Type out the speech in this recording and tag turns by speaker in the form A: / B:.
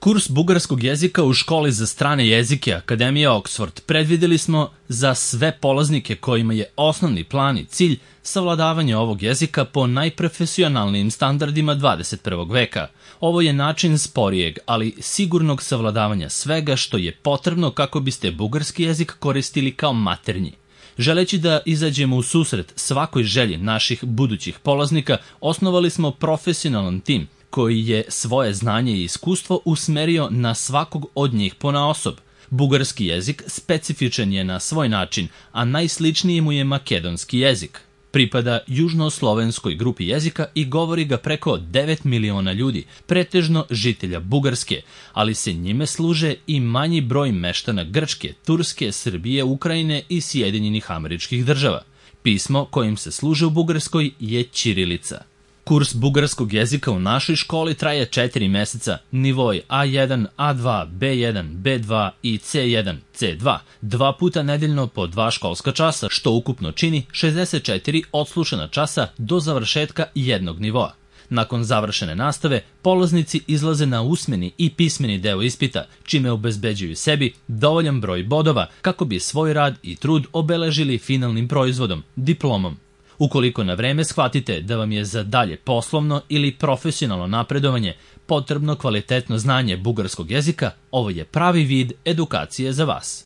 A: Kurs bugarskog jezika u školi za strane jezike Akademije Oxford predvideli smo za sve polaznike kojima je osnovni plan i cilj savladavanje ovog jezika po najprofesionalnijim standardima 21. veka. Ovo je način sporijeg, ali sigurnog savladavanja svega što je potrebno kako biste bugarski jezik koristili kao maternji. Želeći da izađemo u susret svakoj želji naših budućih polaznika, osnovali smo profesionalan tim koji je svoje znanje i iskustvo usmerio na svakog od njih ponaosob. Bugarski jezik specifičan je na svoj način, a najsličniji mu je makedonski jezik. Pripada južnoslovenskoj grupi jezika i govori ga preko 9 miliona ljudi, pretežno žitelja Bugarske, ali se njime služe i manji broj meštana Grčke, Turske, Srbije, Ukrajine i Sjedinjenih Američkih Država. Pismo kojim se služe u Bugarskoj je ćirilica. Kurs bugarskog jezika u našoj školi traje 4 meseca, nivoi A1, A2, B1, B2 i C1, C2, 2 puta nedeljno po 2 školska časa, što ukupno čini 64 odslušana časa do završetka jednog nivoa. Nakon završene nastave, polaznici izlaze na usmeni i pismeni deo ispita, čime obezbeđuju sebi dovoljan broj bodova kako bi svoj rad i trud obeležili finalnim proizvodom, diplomom. Ukoliko na vreme shvatite da vam je za dalje poslovno ili profesionalno napredovanje potrebno kvalitetno znanje bugarskog jezika, ovo je pravi vid edukacije za vas.